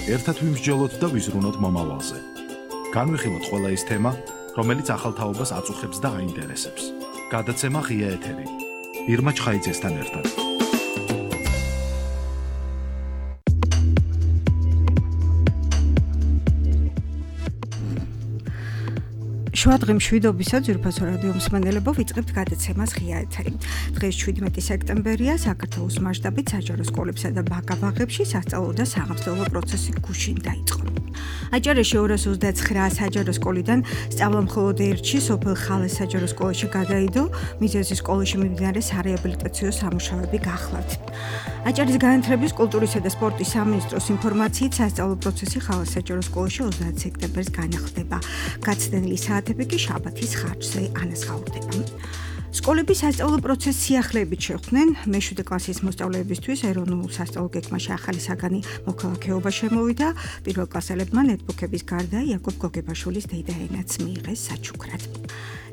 ერთად ვიმსჯელოთ და ვიზრუნოთ მომავალზე. განვიხილოთ ყველა ის თემა, რომელიც ახალ თაობას აწუხებს და აინტერესებს. გადაცემა ღია ეთერი. ირმა ჩხაიძესთან ერთად. შუადღე მშვიდობისა ძვირფასო რადიო მსმენელებო, ვიწყებთ გადაცემას ღია ეთერი. დღეს 17 სექტემბერია, საქართველოს მასშტაბით საჯარო სკოლებსა და ბაკალავრებში სასწავლო და სამართლებრივი პროცესი გუშინ დაიწყო. აჭარაში 229 საჯარო სკოლიდან სწავლა მხოლოდ ერთში სოფელ ხალეს საჯარო სკოლაში გადაიდო, მიზეზი სკოლაში მიმდინარე სარეაბილიტაციო სამუშაოები გახლავთ. აჭარის განათლების, კულტურისა და სპორტის სამინისტროს ინფორმაციით სასწავლო პროცესი ხალეს საჯარო სკოლაში 30 სექტემბერს განახლდება. გაცდენილი საათები კი შაბათის ხარჯზე ანაზღაურდება. სკოლების სასწავლო პროცესს სიახლეებით შეხვდნენ მე-7 კლასის მოსწავლეებისთვის ეროვნულ სასწავლო გეგმაში ახალი საგანი მოქალაქეობა შემოვიდა. პირველ კლასელებმა ნეტბუქების გარდა იაკობ გოგებაშვილის დედა ენაც მიიღეს საჩუქრად.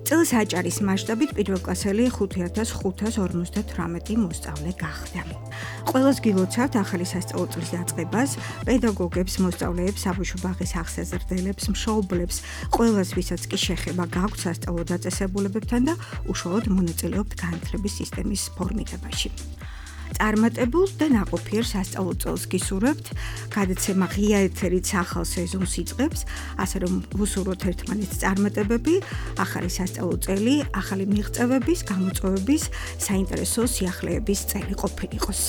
წელს აჭარის მასშტაბით პირველ კლასელი 5558 მოსწავლე გახდა. ყველას გილოცავთ ახალი სასწავლო წლის დაწყებას, პედაგოგებს, მოსწავლეებს, საბავშვო ბაღის აღსაზრდელებს, მშობლებს, ყველას, ვისაც კი შეხება გაქვთ სასწავლო დაწესებულებებთან და უშუალოდ მონაწილეობთ განათლების სისტემის ფორმირებაში. წარმატებულ და ნაყოფიერ სასწავლო წელს გისურვებთ. გადაცემა ღია ეთერით ახალ სეზონს იწყებს, ასე რომ ვუსურვოთ ერთმანეთს წარმატებები, ახალი სასწავლო წელი, ახალი მიღწევების, გამოწვევების, საინტერესო სიახლეების წელი ყოფილიყოს.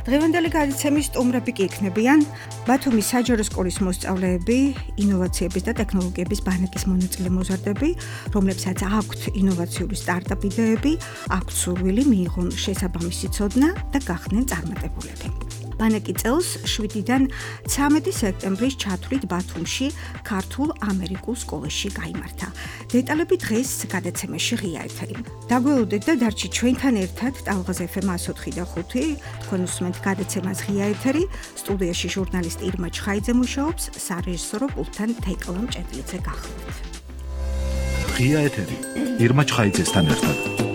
დღევანდელი გადაცემის სტუმრები კი იქნებიან ბათუმის საჯარო სკოლის მოსწავლეები, ინოვაციების და ტექნოლოგიების ბანაკის მონაწილე მოზარდები, რომლებსაც აქვთ ინოვაციური სტარტაპ იდეები, აქვთ სურვილი მიიღონ შესაბამისი ცოდნა და გახდნენ წარმატებულები. ბანაკი წელს 7-დან 13 სექტემბრის ჩათვლით ბათუმში ქართულ-ამერიკულ სკოლაში გაიმართა. დეტალები დღეს გადაცემაში ღია ეთერი. დაგველოდეთ და დარჩით ჩვენთან ერთად ტალღაზ FM 104.5. თქვენ უსმენთ გადაცემას ღია ეთერი. სტუდიაში ჟურნალისტი ირმა ჩხაიძე მუშაობს, სარეჟისორო პულტთან თეკლა მჭედლიძე გახლავთ. ღია ეთერი. ირმა ჩხაიძესთან ერთად.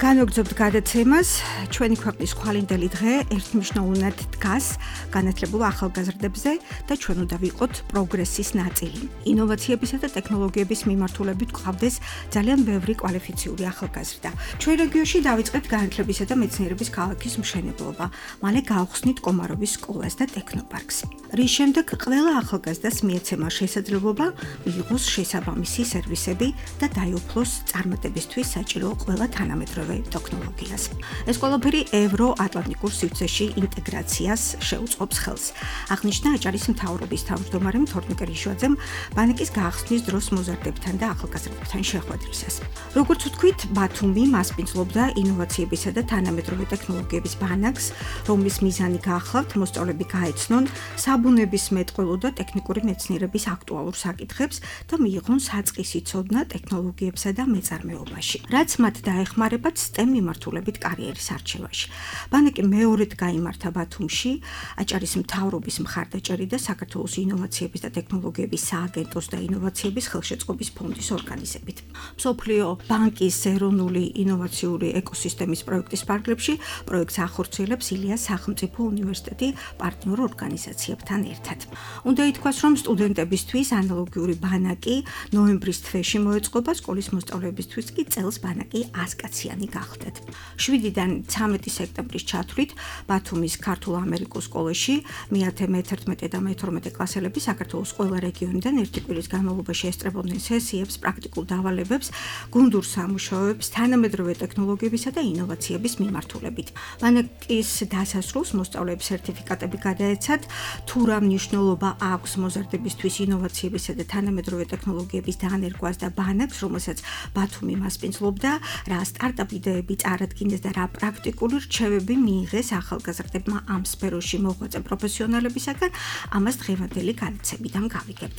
განვაგრძობთ გადაცემას. ჩვენი ქვეყნის ხვალინდელი დღე ერთმნიშვნელოვნად დგას განათლებულ ახალგაზრდებზე და ჩვენ უნდა ვიყოთ პროგრესის ნაწილი. ინოვაციებისა და ტექნოლოგიების მიმართულებით გვყავდეს ძალიან ბევრი კვალიფიციური ახალგაზრდა. ჩვენ რეგიონში დავიწყეთ განათლებისა და მეცნიერების ქალაქის მშენებლობა. მალე გავხსნით კომაროვის სკოლას და ტექნოპარკს. რის შემდეგ ყველა ახალგაზრდას მიეცემა შესაძლებლობა მიიღოს შესაბამისი სერვისები და დაიუფლოს წარმატებისთვის საჭირო ყველა თანამედროვე ტექნოლოგიას. ეს ყველაფერი ევროატლანტიკურ სივრცეში ინტეგრაციას შეუწყობს ხელს. აღნიშნა აჭარის მთავრობის თავმჯდომარემ თორნიკე რიშვაძემ ბანაკის გახსნის დროს მოზარდებთან და ახალგაზრდებთან შეხვედრისას. როგორც ვთქვით, ბათუმი მასპინძლობდა ინოვაციებისა და თანამედროვე ტექნოლოგიების ბანაკს, რომლის მიზანი გახლავთ მოსწავლეები გაეცნონ საბუნების მეტყველო და ტექნიკური მეცნიერების აქტუალურ საკითხებს და მიიღონ საწყისი ცოდნა ტექნოლოგიებსა და მეწარმეობაში. რაც მათ დაეხმარებათ STEM მიმართულებით კარიერის არჩევაში. ბანაკი მეორედ გაიმართა ბათუმში, აჭარის მთავრობის მხარდაჭერით და საქართველოს ინოვაციების და ტექნოლოგიების სააგენტოს და ინოვაციების ხელშეწყობის ფონდის ორგანიზებით. მსოფლიო ბანკის ეროვნული ინოვაციური ეკოსისტემის პროექტის ფარგლებში პროექტს ახორციელებს ილიას სახელმწიფო უნივერსიტეტი პარტნიორ ორგანიზაციებთან ერთად. უნდა ითქვას, რომ სტუდენტებისთვის ანალოგიური ბანაკი ნოემბრის თვეში მოეწყობა, სკოლის მოსწავლეებისთვის კი წელს ბანაკი 100 კაციანი გახდათ. 7-დან 13 სექტემბრის ჩათვლით ბათუმის ქართულ-ამერიკულ სკოლაში მე-10, მე-11 და მე-12 კლასელები საქართველოს ყველა რეგიონიდან ერთი კვირის განმავლობაში ესწრებოდნენ სესიებს, პრაქტიკულ დავალებებს, გუნდურ სამუშაოებს, თანამედროვე ტექნოლოგიებისა და ინოვაციების მიმართულებით. ბანაკის დასასრულს მოსწავლეებს სერტიფიკატები გადაეცათ, თუ რა მნიშვნელობა აქვს მოზარდებისთვის ინოვაციებისა და თანამედროვე ტექნოლოგიების დანერგვას და ბანაკს, რომელსაც ბათუმი მასპინძლობდა, რა სტარტაპ იდეები წარადგინეს და რა პრაქტიკული რჩევები მიიღეს ახალგაზრდებმა ამ სფეროში მოღვაწე პროფესიონალებისაგან, ამას დღევანდელი გადაცემიდან გავიგებთ.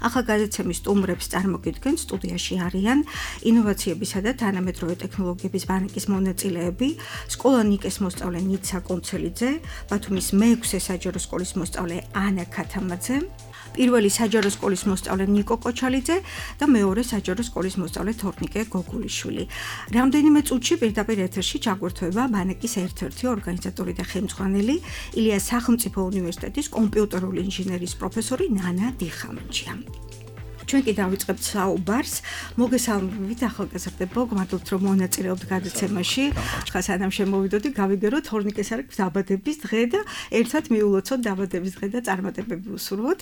ახალ გადაცემის სტუმრებს წარმოგიდგენთ, სტუდიაში არიან ინოვაციებისა და თანამედროვე ტექნოლოგიების ბანაკის მონაწილეები, სკოლა ნიკეს მოსწავლე ნიცა კონცელიძე, ბათუმის მე-6 საჯარო სკოლის მოსწავლე ანა ქათამაძე, პირველი საჯარო სკოლის მოსწავლე ნიკო კოჩალიძე და მეორე საჯარო სკოლის მოსწავლე თორნიკე გოგულიშვილი. რამდენიმე წუთში პირდაპირ ეთერში ჩაგვერთვება ბანაკის ერთ-ერთი ორგანიზატორი და ხელმძღვანელი ილიას სახელმწიფო უნივერსიტეტის კომპიუტერული ინჟინერიის პროფესორი ნანა დიხამჯია. ჩვენ კი დავიწყებთ საუბარს. მოგესალმებით ახალგაზრდებო, გმადლობთ რომ მონაწილეობთ გადაცემაში. ხა სანამ შემოვიდოდი, გავიგერო თორნიკეს არის დაბადების დღე და ერთად მიულოცოთ დაბადების დღე და წარმატებები უსურვოთ.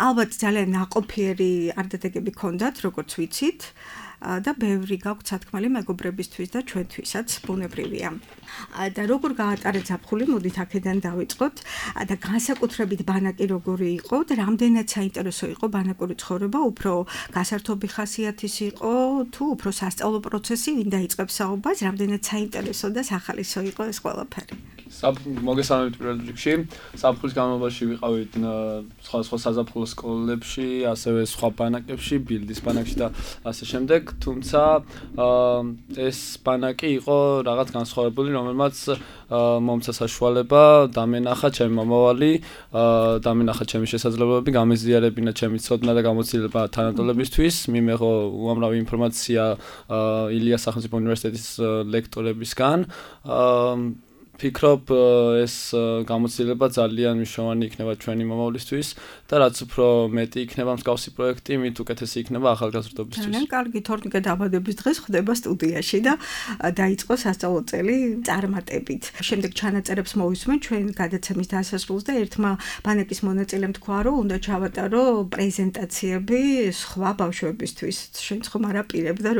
ალბათ ძალიან ნაყოფიერი არდადეგები გქონდათ, როგორც ვიცით. და ბევრი გაქვთ სათქმელი მეგობრებისთვის და ჩვენთვისაც ბუნებრივია. და როგორ გაატარეთ ზაფხული, მოდით აქედან დავიწყოთ. და განსაკუთრებით ბანაკი როგორი იყო და რამდენად საინტერესო იყო ბანაკური ცხოვრება, უფრო გასართობი ხასიათის იყო თუ უფრო სასწავლო პროცესი, ვინ დაიწყებს საუბარს, რამდენად საინტერესო და სახალისო იყო ეს ყველაფერი. მოგესალმებით პირველ რიგში. ზაფხულის განმავლობაში ვიყავით სხვა საზაფხულო სკოლებში, ასევე სხვა ბანაკებში, ბილდის ბანაკში და ასე შემდეგ. თუმცა ეს ბანაკი იყო რაღაც განსხვავებული, რომელმაც მომცა საშუალება დამენახა ჩემი მომავალი, დამენახა ჩემი შესაძლებლობები, გამეზიარებინა ჩემი ცოდნა და გამოცდილება თანატოლებისთვის, მიმეღო უამრავი ინფორმაცია ილიას სახელმწიფო უნივერსიტეტის ლექტორებისგან. ფიქრობ ეს გამოცდილება ძალიან მნიშვნელოვანი იქნება ჩვენი მომავლისთვის და რაც უფრო მეტი იქნება მსგავსი პროექტი, მით უკეთესი იქნება ახალგაზრდობისთვის. ძალიან კარგი, თორნიკე დაბადების დღეს ხდება სტუდიაში და დაიწყო სასწავლო წელი წარმატებით. შემდეგ ჩანაწერებს მოვისმენ ჩვენ გადაცემის დასასრულს და ერთმა ბანაკის მონაწილემ თქვა, რომ უნდა ჩავატარო პრეზენტაციები სხვა ბავშვებისთვის. შენც ხომ არ აპირებ და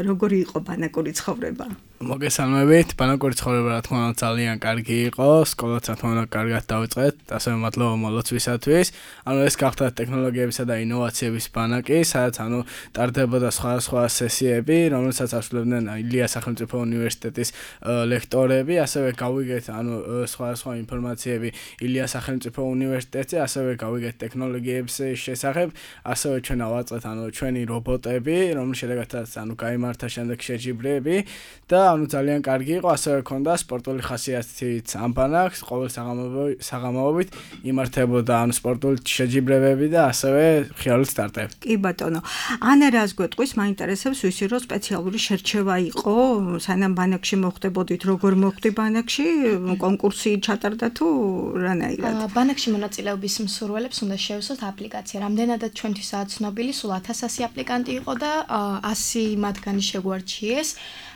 როგორი იყო ბანაკური ცხოვრება? მოგესალმებით, ბანაკური ცხოვრება რა თქმა უნდა ძალიან კარგი იყო, სკოლაც რა თქმა უნდა კარგად დავიწყეთ, ასევე მადლობა მოლოცვისათვის. ეს გახდა ტექნოლოგიებისა და ინოვაციების ბანაკი, სადაც ტარდებოდა სხვადასხვა სესიები, რომელსაც ასრულებდნენ ილიას სახელმწიფო უნივერსიტეტის ლექტორები, ასევე გავიგეთ სხვადასხვა ინფორმაციები ილიას სახელმწიფო უნივერსიტეტზე, ასევე გავიგეთ ტექნოლოგიების შესახებ, ასევე ჩვენ ავაწყეთ ჩვენი რობოტები, რომლის შედეგადაც გაიმართა შემდეგ შეჯიბრები და ძალიან კარგი იყო, ასევე ქონდა სპორტული ხასიათიც ამ ბანაკს, ყოველ საღამოობით იმართებოდა სპორტული შეჯიბრებები და ასევე ხიარულით სტარტები. კი ბატონო. ანა რას გვეტყვის, მაინტერესებს ვისი რომ სპეციალური შერჩევა იყო, სანამ ბანაკში მოხვდებოდით, როგორ მოხვდი ბანაკში, კონკურსი ჩატარდა თუ რანაირად? ბანაკში მონაწილეობის მსურველებს უნდა შეეუსოთ აპლიკაცია. რამდენადაც ჩვენთვისაა ცნობილი, სულ 1000 აპლიკანტი იყო და 100 მათგანი შეგვარჩიეს.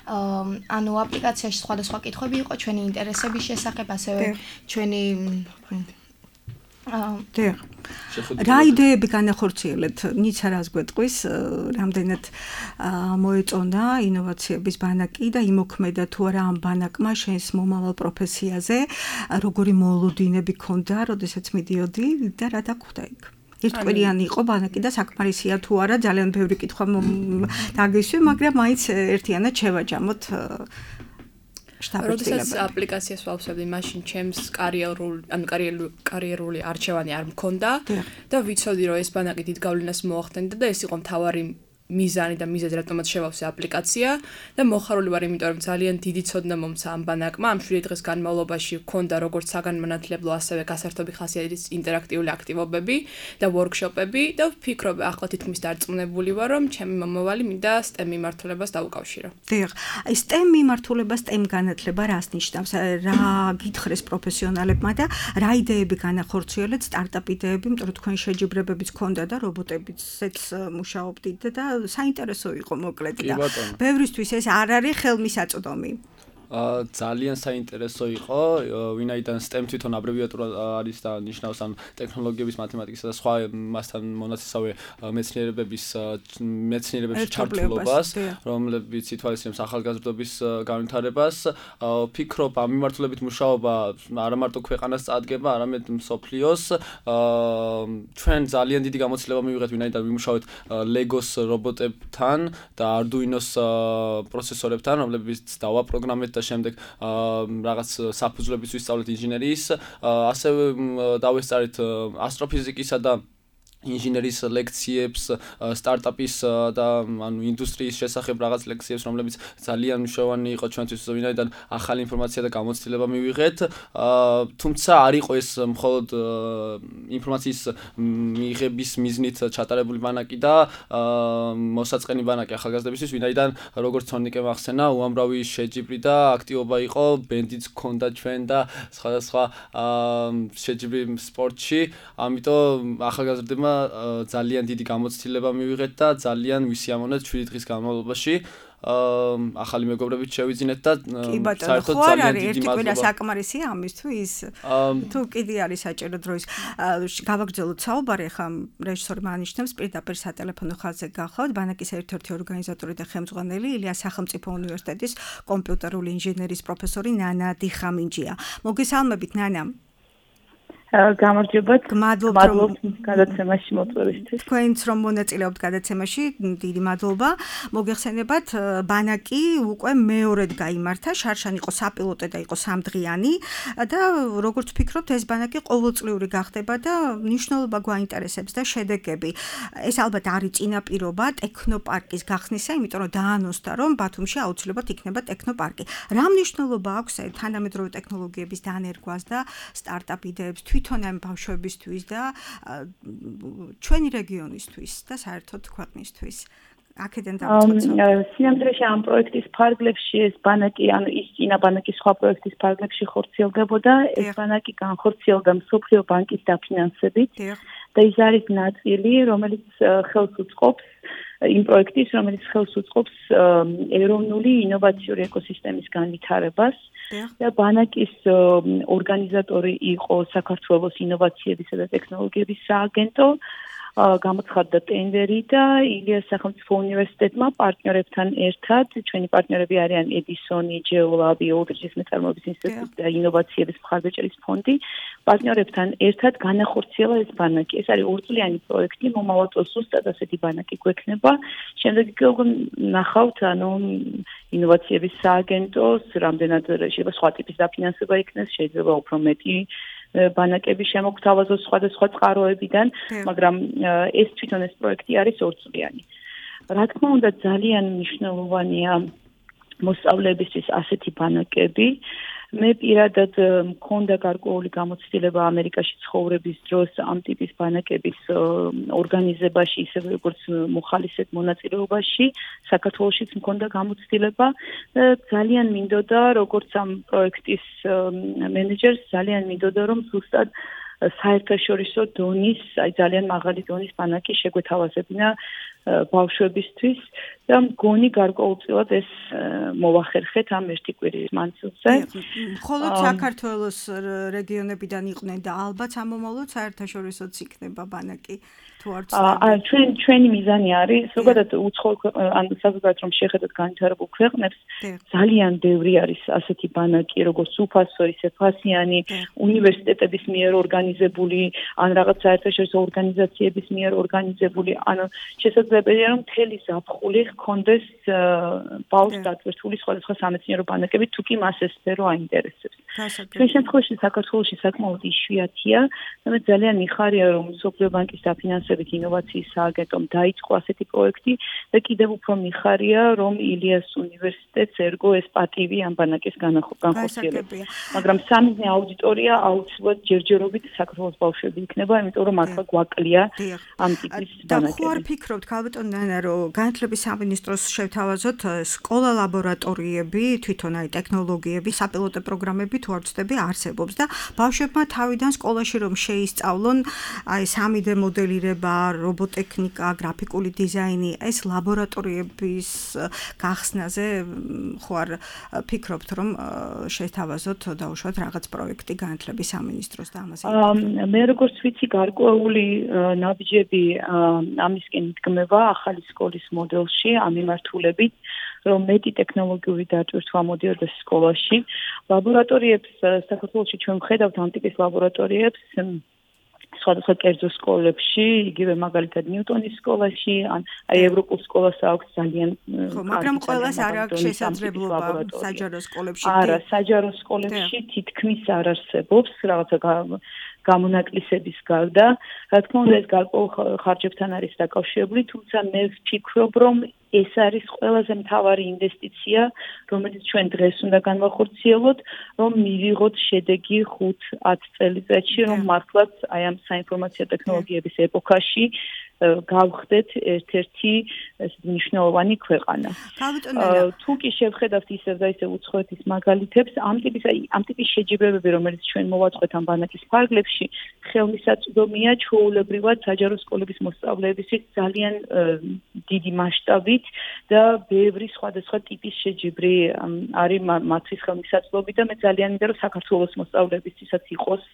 აპლიკაციაში სხვადასხვა კითხვები იყო ჩვენი ინტერესების შესახებ, ასევე ჩვენი რა იდეები განახორციელეთ? ნიცა რას გვეტყვის, რამდენად მოეწონა ინოვაციების ბანაკი და იმოქმედა თუ არა ამ ბანაკმა შენს მომავალ პროფესიაზე, როგორი მოლოდინები ქონდა, როდესაც მიდიოდი და რა დაგხვდა იქ? ერთკვირიანი იყო ბანაკი და საკმარისია თუ არა, ძალიან ბევრი კითხვა დაგისვი, მაგრამ მაინც ერთიანად შევაჯამოთ როდესაც აპლიკაციას ვავსებდი, მაშინ ჩემს კარიერული არჩევანი არ მქონდა და ვიცოდი, რომ ეს ბანაკი დიდ გავლენას მოახდენდა და ეს იყო მთავარი მიზანი და მიზეზი, რატომაც შევავსე აპლიკაცია და მოხარული ვარ, იმიტომ რომ ძალიან დიდი ცოდნა მომცა ამ ბანაკმა. ამ 7 დღის განმავლობაში მქონდა როგორც საგანმანათლებლო, ასევე გასართობი ხასიათის ინტერაქტიული აქტივობები და ვორქშოპები და ვფიქრობ, ახლა თითქმის დარწმუნებული ვარ, რომ ჩემი მომავალი მინდა STEM მიმართულებას დავუკავშირო. დიახ, STEM მიმართულება, STEM განათლება რას ნიშნავს? რა გითხრეს პროფესიონალებმა და რა იდეები განახორციელეთ, სტარტაპ იდეები, იმიტომ რომ თქვენ შეჯიბრებებიც ქონდა და რობოტებიცაც მუშაობდით და საინტერესო იყო მოკლედ და ბევრისთვის ეს არ არის ხელმისაწვდომი. ძალიან საინტერესო იყო, ვინაიდან STEM თვითონ აბრევიატურა არის და ნიშნავს ტექნოლოგიების, მათემატიკისა და სხვა მასთან მონაცისავე მეცნიერებებში ჩართულობას, რომლებიც ითვალისწინებს ახალგაზრდობის განვითარებას. ფიქრობ, ამ მიმართულებით მუშაობა არა მარტო ქვეყანას წარდგება, არამედ მსოფლიოს. ჩვენ ძალიან დიდი გამოცდილება მივიღეთ, ვინაიდან ვიმუშავეთ Legos რობოტებთან და Arduino-s პროცესორებთან, რომლებიც დავაპროგრამეთ და შემდეგ რაღაც საფუძვლების ვისწავლეთ ინჟინერიის, ასევე დავესწარით ასტროფიზიკისა და ინჟინერის ლექციებს, სტარტაპის და ანუ ინდუსტრიის შესახებ რაღაც ლექციებს, რომლებიც ძალიან მნიშვნელოვანი იყო ჩვენთვის, ვინაიდან ახალი ინფორმაცია და გამოცდილება მივიღეთ. თუმცა არ იყო ეს მხოლოდ ინფორმაციის მიღების მიზნით ჩატარებული ბანაკი და მოსაწყენი ბანაკი ახალგაზრდებისთვის, ვინაიდან როგორც თორნიკემ ახსენა, უამრავი შეჯიბრი და აქტივობა იყო, ბენდიც ჰქონდა ჩვენ და სხვადასხვა შეჯიბრი სპორტში, ამიტომ ახალგაზრდებმა ძალიან დიდი გამოცდილება მივიღეთ და ძალიან ვისიამოვნეთ 7 დღის განმავლობაში. ახალი მეგობრებით შევიძინეთ და საერთოდ ძალიან დიდი მადლობა. ერთი კვირა საკმარისია ამისთვის. თუ კიდე არის საჭირო დროის გავაგრძელოთ საუბარი, ხა რეჟისორი მანიშნებს პირდაპირ სატელეფონო ხაზზე გახავთ. ბანაკის ერთ-ერთი ორგანიზატორი და ხელმძღვანელი ილიას სახელმწიფო უნივერსიტეტის კომპიუტერული ინჟინერიის პროფესორი ნანა დიხამინჯია. მოგესალმებით ნანა. გამარჯობათ. მადლობთ გადაცემაში მოწვევისთვის. თქვენც რომ მონაწილეობთ გადაცემაში, დიდი მადლობა. მოგეხსენებათ, ბანაკი უკვე მეორედ გაიმართა, შარშან იყო საპილოტე და იყო 3 დღიანი და როგორც ვფიქრობთ, ეს ბანაკი ყოველწლიური გახდება და მნიშვნელობა გვაინტერესებს და შედეგები. ეს ალბათ არის წინაპირობა ტექნოპარკის გახსნისა, იმიტომ რომ დაანონსდა, რომ ბათუმში აუცილებლად იქნება ტექნოპარკი. რა მნიშვნელობა აქვს თანამედროვე ტექნოლოგიების დანერგვას და სტარტაპ იდეებს თვითონ ამ ბავშვებისთვის და ჩვენი რეგიონისთვის და საერთოდ ქვეყნისთვის. აქედან დავიწყოთ. სინამდვილეში ამ პროექტის ფარგლებში ეს ბანაკი, ანუ ის წინა ბანაკის სხვა პროექტის ფარგლებში ხორციელდებოდა, ეს ბანაკი განხორციელდა მსოფლიო ბანკის დაფინანსებით და ის არის ნაწილი, რომელიც ხელს უწყობს იმ პროექტის, რომელიც ხელს უწყობს ეროვნული ინოვაციური ეკოსისტემის განვითარებას. და ბანაკის ორგანიზატორი იყო საქართველოს ინოვაციებისა და ტექნოლოგიების სააგენტო, გამოცხადდა ტენდერი და ილიას სახელმწიფო უნივერსიტეტმა პარტნიორებთან ერთად, ჩვენი პარტნიორები არიან ედისონი, ჯეოლაბი, ოლდრიჯის მეწარმოების ინსტიტუტი და ინოვაციების მხარდაჭერის ფონდი, პარტნიორებთან ერთად განახორციელა ეს ბანაკი. ეს არის 2 წლიანი პროექტი, მომავალ წელს ზუსტად ასეთი ბანაკი გვექნება. შემდეგ კი ნახავთ, ანუ ინოვაციების სააგენტოს რამდენად შეიძლება სხვა ტიპის დაფინანსება იქნეს, შეიძლება უფრო მეტი ბანაკები შემოგთავაზოს სხვადასხვა წყაროებიდან, მაგრამ ეს თვითონ ეს პროექტი არის 2 წლიანი. რა თქმა უნდა, ძალიან მნიშვნელოვანია მოსწავლეებისთვის ასეთი ბანაკები. მე პირადად მქონდა გარკვეული გამოცდილება ამერიკაში ცხოვრების დროს ამ ტიპის ბანაკების ორგანიზებაში, ისევე როგორც მოხალისედ მონაწილეობაში, საქართველოშიც მქონდა გამოცდილება და ძალიან მინდოდა, როგორც ამ პროექტის მენეჯერს, ძალიან მინდოდა, რომ ზუსტად საერთაშორისო დონის, ძალიან მაღალი დონის ბანაკი შეგვეთავაზებინა ბავშვებისთვის და მგონი გარკვეულწილად ეს მოვახერხეთ ამ ერთი კვირის მანძილზე. მხოლოდ საქართველოს რეგიონებიდან იყვნენ და ალბათ ამომავლოდ საერთაშორისოც იქნება ბანაკი. ჩვენი მიზანი არის, ზოგადად ან საზოგადოებრივ რომ შეხედოთ განვითარებულ ქვეყნებს, ძალიან ბევრი არის ასეთი ბანაკი, როგორც უფასო, ისე ფასიანი, უნივერსიტეტების მიერ ორგანიზებული, ან რაღაც საერთაშორისო ორგანიზაციების მიერ ორგანიზებული, ანუ შესაძლებელია რომ მთელი ზაფხული ჰქონდეს ბავშვს დატვირთული სხვადასხვა სამეცნიერო ბანაკები, თუ კი მას ეს სფერო აინტერესებს. ჩვენ შემთხვევაში საქართველოში საკმაოდ იშვიათია და მე ძალიან მიხარია, რომ მსოფლიო ბანკის დაფინანსებით ინოვაციის სააგენტომ დაიწყო ასეთი პროექტი და კიდევ უფრო მიხარია, რომ ილიას უნივერსიტეტს ერგო ეს პატივი ამ ბანაკის განხორციელებაში. მაგრამ სამიზნე აუდიტორია აუცილებლად ჯერჯერობით საქართველოს ბავშვები იქნება, იმიტომ რომ მართლა გვაკლია ამ ტიპის ბანაკები. და ხო არ ფიქრობთ, ქალბატონ ნანა, რომ განათლების სამინისტროს შევთავაზოთ სკოლა ლაბორატორიები, თვითონ აი ტექნოლოგიები, საპილოტო პროგრამები თუ არ ვცდები არსებობს და ბავშვებმა თავიდან სკოლაში რომ შეისწავლონ აი 3D მოდელირება, რობოტექნიკა, გრაფიკული დიზაინი, ეს ლაბორატორიების გახსნაზე ხო არ ფიქრობთ, რომ შეთავაზოთ დაუშვათ რაღაც პროექტი განათლების სამინისტროს და ამაზე? მე როგორც ვიცი, გარკვეული ნაბიჯები ამისკენ იდგმება ახალი სკოლის მოდელში, ამ მიმართულებით, რომ მეტი ტექნოლოგიური დატვირთვა მოდიოდეს სკოლაში. ლაბორატორიებს საქართველოში ჩვენ ვხედავთ ამ ტიპის ლაბორატორიებს სხვადასხვა კერძო სკოლებში, იგივე მაგალითად ნიუტონის სკოლაში, ან აი ევროპულ სკოლას აქვს ძალიან მაგრამ ყველას არ აქვს შესაძლებლობა საჯარო სკოლებში. არა, საჯარო სკოლებში თითქმის არ არსებობს, რაღაცა გამონაკლისების გარდა, რა თქმა უნდა ეს გარკვეულ ხარჯებთან არის დაკავშირებული, თუმცა მე ვფიქრობ, რომ ეს არის ყველაზე მთავარი ინვესტიცია, რომელიც ჩვენ დღეს უნდა განვახორციელოთ, რომ მივიღოთ შედეგი 5-10 წელიწადში, რომ მართლაც აი ამ საინფორმაციო ტექნოლოგიების ეპოქაში გავხდეთ ერთ-ერთი მნიშვნელოვანი ქვეყანა. თუ კი შევხედავთ ისევ და ისევ უცხოეთის მაგალითებს, ამ ტიპის შეჯიბრებები, რომელიც ჩვენ მოვაწყვეთ ამ ბანაკის ფარგლებში, ხელმისაწვდომია ჩვეულებრივად საჯარო სკოლების მოსწავლეებისთვის ძალიან დიდი მასშტაბით და ბევრი სხვადასხვა ტიპის შეჯიბრი არის მათთვის ხელმისაწვდომი და მე ძალიან მინდა რომ საქართველოს მოსწავლეებისთვისაც იყოს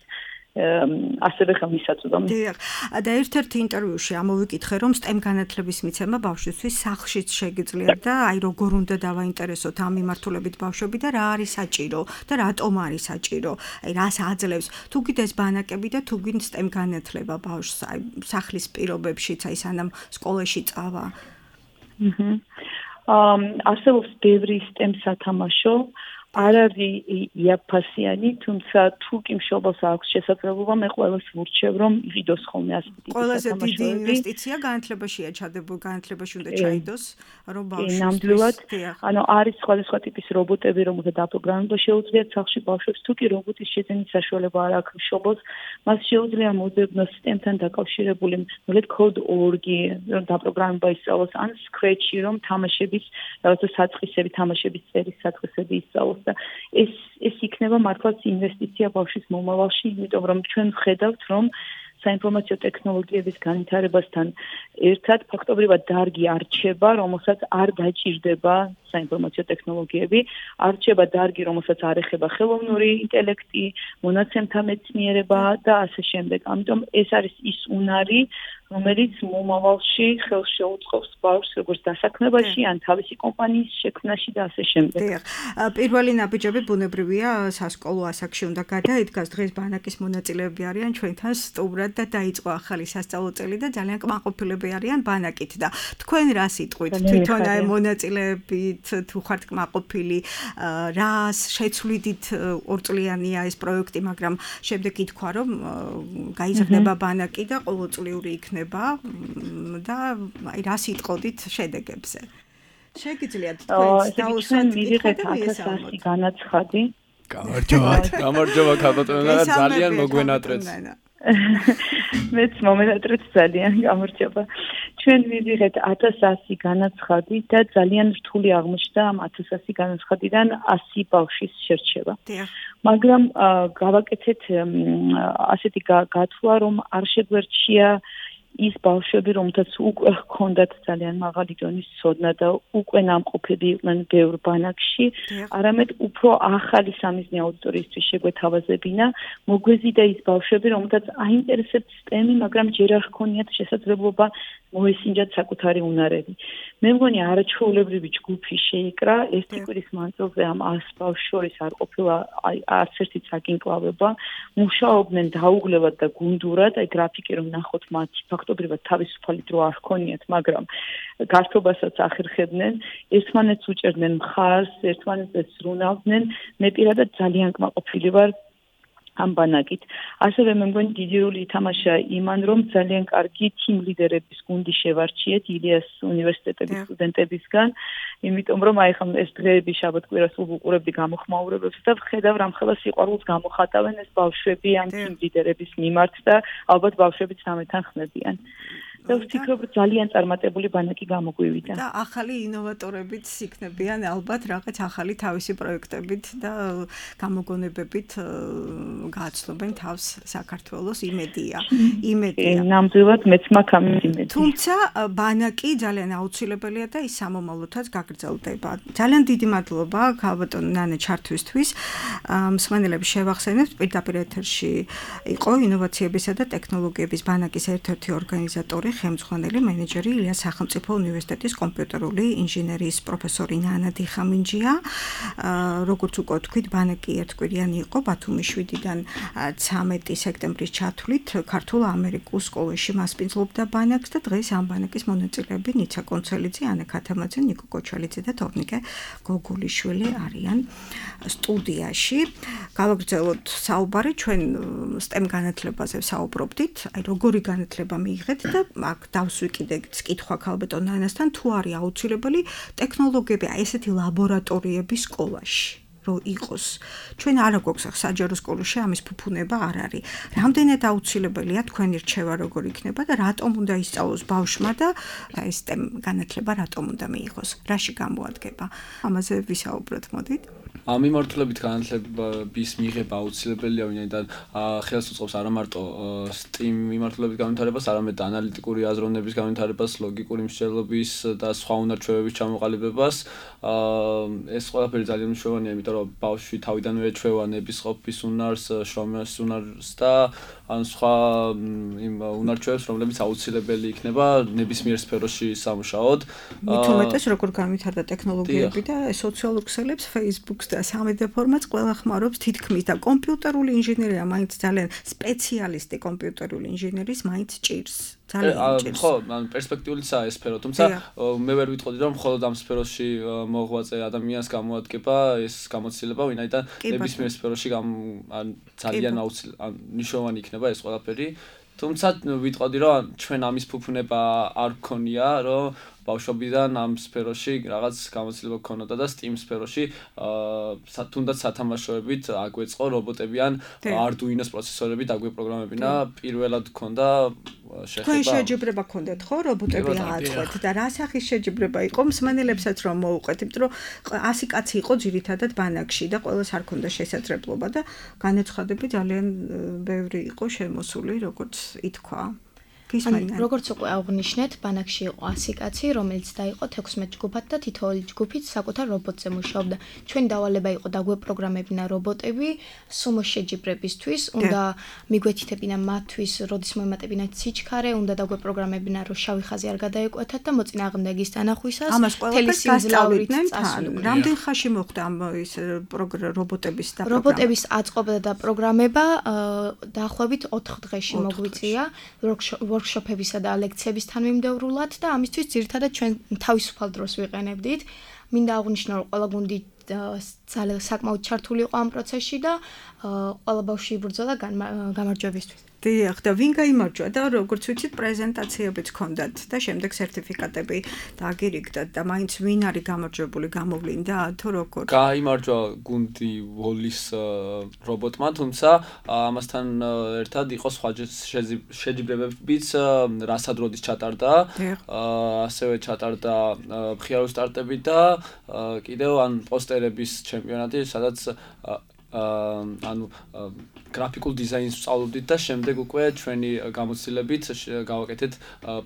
ასევე ხელმისაწვდომი. დიახ, და ერთ-ერთ ინტერვიუში ამოვიკითხე, რომ STEM განათლების მიცემა ბავშვისთვის სახლშიც შეგიძლია და აი როგორ უნდა დავაინტერესოთ ამ მიმართულებით ბავშვები და რა არის საჭირო და რატომ არის საჭირო, აი რას აძლევს, თუ კიდეს ბანაკები და თუ გინ STEM განათლება ბავშვს აი სახლის პირობებშიც, აი სანამ სკოლაში წავა. არსებობს ბევრი STEM სათამაშო, არ არის იაფფასიანი, თუმცა თუ კი მშობელს აქვს შესაძლებლობა, მე ყველას ვურჩევ, რომ იყიდოს ხოლმე ასეთი ტიპის ყველაზე დიდი ინვესტიცია განათლებაშია ჩადებული, განათლებაში უნდა ჩაიდოს, რომ ბავშვი ნამდვილად, ანუ არის სხვადასხვა ტიპის რობოტები, რომელთა დაპროგრამება შეუძლიათ სახლში ბავშვებს, თუ კი რობოტის შეძენის საშუალება არ აქვს მშობელს, მას შეუძლია მოძებნოს STEM-თან დაკავშირებული code.org-ი, რომ დაპროგრამება ისწავლოს, ან Scratch-ი, რომ თამაშების, რაღაცა საწყისები, თამაშების წერის საწყისები ისწავლოს. ეს იქნება მართლაც ინვესტიცია ბავშვის მომავალში, იმიტომ რომ ჩვენ ვხედავთ, რომ საინფორმაციო ტექნოლოგიების განვითარებასთან ერთად ფაქტობრივად დარგი არჩება, რომელსაც არ დაჭირდება საინფორმაციო ტექნოლოგიები, არჩება დარგი, რომელსაც არ ეხება ხელოვნური ინტელექტი, მონაცემთა მეცნიერება და ასე შემდეგ. ამიტომ ეს არის ის უნარი, რომელიც მომავალში ხელს შეუწყობს ბავშვს როგორც დასაქმებაში, ან თავისი კომპანიის შექმნაში და ასე შემდეგ. დიახ, პირველი ნაბიჯები ბუნებრივია სასკოლო ასაკში უნდა გადაიდგას, დღეს ბანაკის მონაწილეები არიან ჩვენთან სტუმრად და დაიწყო ახალი სასწავლო წელი და ძალიან კმაყოფილები არიან ბანაკით და თქვენ რა სიტყვით თვითონ აი მონაწილეებით თუ ხართ კმაყოფილი, რას შეცვლიდით ორწლიანია ეს პროექტი, მაგრამ შემდეგ ითქვა რომ გაიზრდება ბანაკი და ყოველწლიური იქნება და აი რა სიტყოდით შედეგებზე. შეგიძლიათ თქვენ დაუსვათ მივიღეთ 1100 განაცხადი. გამარჯობა ქალბატონო, ძალიან მოგვენატრეთ. მეც მომენატრეთ ძალიან, გამარჯობა. ჩვენ მივიღეთ 1100 განაცხადი და ძალიან რთული აღმოჩნდა ამ 1100 განაცხადიდან 100 ბავშვის შერჩევა. მაგრამ გავაკეთეთ ასეთი გათვლა, რომ არ შეგვერჩია ის ბავშვები, რომელთაც უკვე ჰქონდათ ძალიან მაღალი დონის ცოდნა და უკვე ნამყოფები იყვნენ ბევრ ბანაკში, არამედ უფრო ახალი სამიზნე აუდიტორიისთვის შეგვეთავაზებინა, მოგვეზიდა ის ბავშვები, რომელთაც აინტერესებთ STEM-ი, მაგრამ ჯერ არ ჰქონიათ შესაძლებლობა მოესინჯათ საკუთარი უნარები. მე მგონი არაჩვეულებრივი ჯგუფი შეიკრა, ერთი კვირის მანძილზე ამ 100 ბავშვს შორის არ ყოფილა არც ერთი წაგინკლავება, მუშაობდნენ დაუღლებლად და გუნდურად, აი გრაფიკი რომ ნახოთ მათი ფაქტობრივად თავისუფალი დრო არ ჰქონიათ, მაგრამ გართობასაც ახერხებდნენ, ერთმანეთს უჭერდნენ მხარს, ერთმანეთს ზრუნავდნენ, მე პირადად ძალიან კმაყოფილი ვარ ამ ბანაკით. ასევე მე მგონი დიდი როლი ითამაშა იმან, რომ ძალიან კარგი team leader-ების გუნდი შევარჩიეთ ილიას უნივერსიტეტის სტუდენტებისგან, იმიტომ რომ აი ხომ ეს დღეები შაბათ-კვირას ვუყურებდი გამოხმაურებებს და ვხედავ რამხელა სიყვარულს გამოხატავენ ეს ბავშვები ამ team leader-ების მიმართ და ალბათ ბავშვებიც ამეთან ხმებიან. და ვფიქრობ, ძალიან წარმატებული ბანაკი გამოგვივიდა. და ახალი ინოვატორებიც იქნებიან ალბათ რაღაც ახალი თავისი პროექტებით და გამოგონებებით გააცნობენ თავს საქართველოს იმედია. ნამდვილად მეც მაქვს ამ იმედი. თუმცა ბანაკი ძალიან აუცილებელია და ის სამომავლოდაც გაგრძელდება. ძალიან დიდი მადლობა ქალბატონ ნანა ჩართვისთვის. მსმენელებს შევახსენებთ, პირდაპირ ეთერში იყო ინოვაციებისა და ტექნოლოგიების ბანაკის ერთ-ერთი ორგანიზატორი, ხელმძღვანელი მენეჯერი ილიას სახელმწიფო უნივერსიტეტის კომპიუტერული ინჟინერიის პროფესორი ნანა დიხამინჯია. როგორც უკვე თქვით, ბანაკი ერთკვირიანი იყო ბათუმის 7-დან 2019-დან 13 სექტემბრის ჩათვლით ქართულ ამერიკულ სკოლაში მასპინძლობდა ბანაკს და დღეს ამ ბანაკის მონაწილეები ნიცა კონცელიძე, ანე ქათამაძე, ნიკო კოჩალიძე და თორნიკე გოგულიშვილი არიან სტუდიაში. გავაგრძელოთ საუბარი, ჩვენ STEM განათლებაზე საუბრობდით, აი როგორი განათლება მიიღეთ და აქ დავსვიკიდეთ კითხვა ქალბატონ ნანასთან, თუ არის აუცილებელი ტექნოლოგიები, აი ესეთი ლაბორატორიები სკოლაში. რომ იყოს. ჩვენ არ გვაქვს საჯარო სკოლაში ამის ფუფუნება არ არის. რამდენად აუცილებელია თქვენი რჩევა როგორ იქნება და რატომ უნდა ისწავლოს ბავშვმა და ეს STEM განათლება რატომ უნდა მიიღოს? რაში გამოადგება? ამაზე ვისაუბროთ, მოდით. ამ მიმართულებით განათლების მიღება აუცილებელია, ვინაიდან ხელს უწყობს არა მარტო STEM მიმართულებით განვითარებას, არამედ ანალიტიკური აზროვნების განვითარებას, ლოგიკური მსჯელობის და სხვა უნარჩვევების ჩამოყალიბებას. ეს ყველაფერი ძალიან მნიშვნელოვანია, იმიტომ რომ ბავშვი თავიდანვე ეჩვევა ნების ყოფის უნარს, შრომის უნარს და ან სხვა იმ უნარჩვევებს, რომლებიც აუცილებელი იქნება ნებისმიერ სფეროში სამუშაოდ. მით უმეტეს როგორ განვითარდა ტექნოლოგიები და სოციალურ ქსელებს, Facebook-ს და სამედია ფორმატს ყველა ხმარობს თითქმის და კომპიუტერული ინჟინერია მაინც ძალიან სპეციალისტი კომპიუტერული ინჟინერის მაინც ჭირს. ხო, პერსპექტიულიცაა ეს სფერო, თუმცა მე ვერ ვიტყოდი რომ მხოლოდ ამ სფეროში მოღვაწე ადამიანს გამოადგება ეს გამოცდილება, ვინაიდან ნებისმიერ სფეროში ძალიან მნიშვნელოვანი იქნება ეს ყველაფერი. თუმცა ვიტყოდი რომ ჩვენ ამის ფუფუნება არ გქონია, რომ ბავშვობიდან ამ სფეროში რაღაც გამოცდილება გქონოდა და STEM სფეროში თუნდაც სათამაშოებით აგვეწყო რობოტები ან Arduino-ს პროცესორებით აგვეპროგრამებინა, პირველად გქონდა შეხება. თქვენ შეჯიბრება გქონდათ ხო რობოტები ააწყვეთ და რა სახის შეჯიბრება იყო? მსმენელებსაც რომ მოუყვეთ, იმიტომ რომ 100 კაცი იყო ძირითადად ბანაკში და ყველას არ ქონდა შესაძლებლობა და განაცხადები ძალიან ბევრი იყო შემოსული, როგორც ითქვა. როგორც უკვე აღნიშნეთ, ბანაკში იყო 100 კაცი, რომელიც დაიყო 16 ჯგუფად და თითოეული ჯგუფით საკუთარ რობოტზე მუშაობდა. ჩვენი დავალება იყო დაგვეპროგრამებინა რობოტები სუმოს შეჯიბრებისთვის, უნდა მიგვეთითებინა მათთვის, როდის მოემატებინათ სიჩქარე, უნდა დაგვეპროგრამებინა, რომ შავი ხაზი არ გადაეკვეთათ და მოწინააღმდეგის თანახვისას თელი სინძლავრით წასულიყვნენ. რამდენ ხანში მოხდა ამ ის რობოტების და რობოტების აწყობა და პროგრამება დაახლოებით 4 დღეში მოგვიწია. ვორქშოპებისა და ლექციების თანმიმდევრულად და ამისთვის ძირითადად ჩვენ თავისუფალ დროს ვიყენებდით. მინდა აღვნიშნო, რომ ყველა გუნდი ძალიან საკმაოდ ჩართული იყო ამ პროცესში და ყველა ბავშვი იბრძოდა გამარჯვებისთვის. დიახ, და ვინ გაიმარჯვა და როგორც ვიცით, პრეზენტაციებიც ჰქონდათ და შემდეგ სერტიფიკატები დააგირიგდათ და მაინც ვინ არის გამარჯვებული, გამოვლინდა თუ როგორ? გაიმარჯვა გუნდი ვოლის რობოტმა, თუმცა ამასთან ერთად იყო სხვა შეჯიბრებებიც, რასადროდის ჩატარდა, ასევე ჩატარდა მხიარული სტარტები და კიდევ ან პოსტერების ჩემპიონატი, სადაც ანუ გრაფიკულ დიზაინს ვსწავლობდით და შემდეგ უკვე ჩვენი გამოცდილებით გავაკეთეთ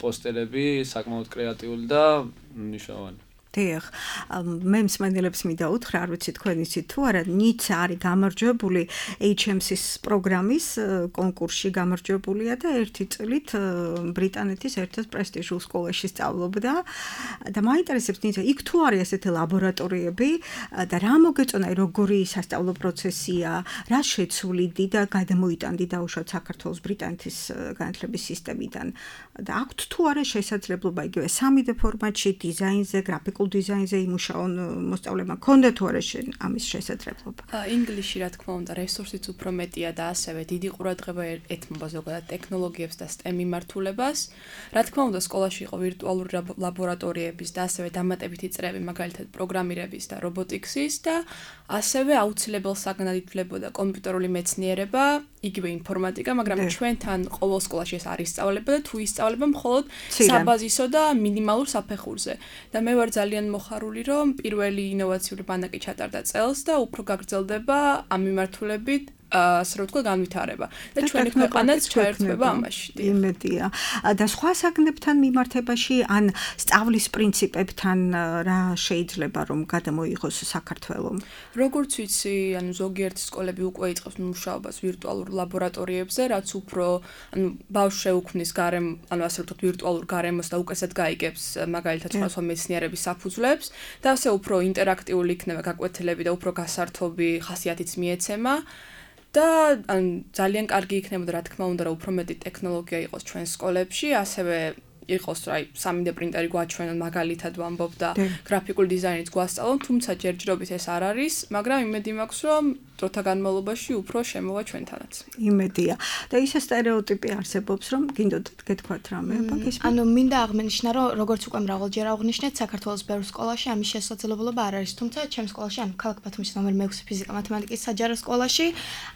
პოსტერები, საკმაოდ კრეატიული და მნიშვნელოვანი. დიახ, მე მსმენელებს მინდა უთხრა, არ ვიცი თქვენ იცით თუ არა, ნიცა არის გამარჯვებული HMC-ის პროგრამის კონკურსში გამარჯვებულია და ერთი წლით ბრიტანეთის ერთ-ერთ პრესტიჟულ სკოლაში სწავლობდა და მაინტერესებს ნიცა, იქ თუ არის ესეთი ლაბორატორიები და რა მოგეწონა, როგორი სასწავლო პროცესია, რა შეცვლიდი და გადამოიტანდი დაუშვათ საქართველოს ბრიტანეთის განათლების სისტემიდან და აქვთ თუ არა შესაძლებლობა იგივე 3D ფორმატში დიზაინზე, გრაფიკულ დიზაინზე იმუშაონ მოსწავლეებმა ქონდა თუ არა ამის შესაძლებლობა? ინგლისში რა თქმა უნდა რესურსიც უფრო მეტია და ასევე დიდი ყურადღება ეთმობა ზოგადად ტექნოლოგიებს და STEM მიმართულებას. რა თქმა უნდა სკოლაში იყო ვირტუალური ლაბორატორიების და ასევე დამატებითი წრეები, მაგალითად პროგრამირების და რობოტიკსის და ასევე აუცილებელ საგნად ითვლებოდა კომპიუტერული მეცნიერება, იგივე ინფორმატიკა, მაგრამ ჩვენთან ყოველ სკოლაში ეს არ ისწავლება და თუ ისწავლება მხოლოდ საბაზისო და მინიმალურ საფეხურზე. და მე ვარ ძალიან მოხარული, რომ პირველი ინოვაციური ბანაკი ჩატარდა წელს და უფრო გაგრძელდება ამ მიმართულებით ასე რომ თქვა განვითარება და ჩვენი ქვეყანაც ჩაერთვება ამაში. იმედია. და სხვა საგნებთან მიმართებაში ან სწავლის პრინციპებთან რა შეიძლება რომ გადამოიღოს საქართველოს? როგორც ვიცი, ანუ ზოგიერთი სკოლები უკვე იწყებს მუშაობას ვირტუალურ ლაბორატორიებზე, რაც უფრო ანუ ბავშვს შეუქმნის ანუ ასე ვთქვათ ვირტუალურ გარემოს და უკეთესად გაიგებს მაგალითად სხვა მეცნიერების საფუძვლებს და ასე უფრო ინტერაქტიული იქნება გაკვეთილები და უფრო გასართობი ხასიათიც მიეცემა. და ან ძალიან კარგი იქნებოდა რა თქმა უნდა რომ უფრო მეტი ტექნოლოგია იყოს ჩვენ სკოლებში, ასევე იყოს აი 3D პრინტერი გვაჩვენონ მაგალითად ვამბობ და გრაფიკული დიზაინიც გვასწავლონ, თუმცა ჯერჯერობით ეს არ არის, მაგრამ იმედი მაქვს რომ დროთა განმავლობაში უფრო შემოვა ჩვენთანაც. იმედია. და ისე სტერეოტიპი არსებობს, რომ გინდოდათ გეთქვათ რამე, ბაგის. ანუ მინდა აღნიშნა, რომ როგორც უკვე მრავალჯერ აღნიშნეთ, საქართველოს ბევრ სკოლაში ამის შესაძლებლობა არ არის, თუმცა ჩემს სკოლაში, ანუ ქალაქ ბათუმის ნომერ 6 ფიზიკა მათემატიკის საჯარო სკოლაში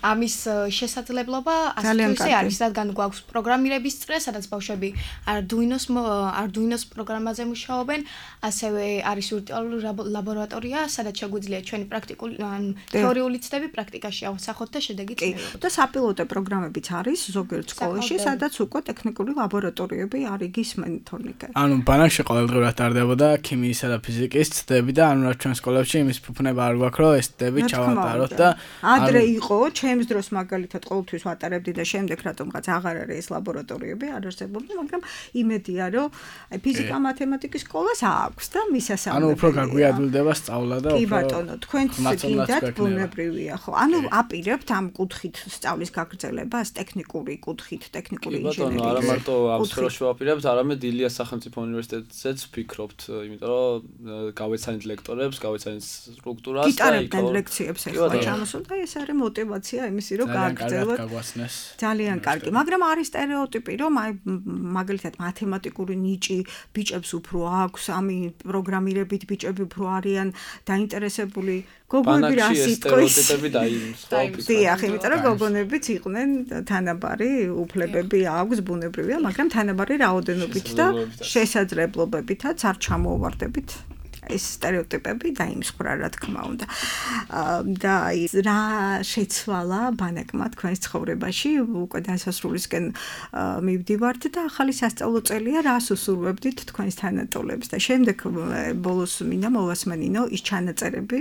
ამის შესაძლებლობა ასეთვე არის, რადგან გვაქვს პროგრამირების წრე, სადაც ბავშვები Arduino-ს პროგრამაზე მუშაობენ, ასევე არის ვირტუალური ლაბორატორია, სადაც შეგვიძლია ჩვენი პრაქტიკული ან თეორიული ცდები პრაქტიკაში ავსახოთ და შედეგიც მივიღოთ. და საპილოტო პროგრამებიც არის ზოგიერთ სკოლაში, სადაც უკვე ტექნიკური ლაბორატორიები არის გისმენ თორნიკე. ანუ ბანაკში ყოველდღურად ტარდებოდა ქიმიისა და ფიზიკის ცდები და ანუ რა ჩვენ სკოლებში იმის ფუფუნება არ გვაქვს, რომ ეს ცდები ჩავატაროთ და ადრე იყო, ჩემს დროს მაგალითად ყოველთვის ვატარებდი და შემდეგ რატომღაც აღარ არის ეს ლაბორატორიები, არ არსებობდა, მაგრამ იმედია, რომ აი ფიზიკა მათემატიკის სკოლას აქვს და მისასალმებელი. ანუ უფრო გაგვიადვილდება სწავლა და უფრო კი ბატონო, თქვენც გინდათ ბუნებრივია ხო? ანუ აპირებთ ამ კუთხით სწავლის გაგრძელებას, ტექნიკური კუთხით, ტექნიკური ინჟინერია. ბატონო, არა მარტო ამ სფეროში ვაპირებთ, არამედ ილიას სახელმწიფო უნივერსიტეტზეც ვფიქრობთ, იმიტომ რომ გავეცანით ლექტორებს, გავეცანით სტრუქტურას და იტარებდნენ ლექციებს ახლა ჩამოსულ და ეს არის мотиваცია იმისი, რომ გააგრძელოთ. ძალიან კარგი, მაგრამ არის სტერეოტიპი, რომ აი მაგალითად მათემატიკური ნიჭი ბიჭებს უფრო აქვს, ამი პროგრამირებით ბიჭები უფრო არიან დაინტერესებული. გოგონები რა სიტყვის სტერეოტიპები დაიმსხავთ. დიახ, იმიტომ რომ გოგონებიც იყვნენ თანაბარი უფლებები აქვს ბუნებრივია, მაგრამ თანაბარი რაოდენობით და შესაძლებლობებითაც არ ჩამოვარდებით. ეს სტერეოტიპები დაიმსხვრა რა თქმა უნდა. და რა შეცვალა ბანაკმა თქვენს ცხოვრებაში, უკვე დასასრულისკენ მივდივართ და ახალი სასწავლო წელია, რას უსურვებდით თქვენს თანატოლებს და შემდეგ ბოლოს მინდა მოვასმენინო ის ჩანაწერები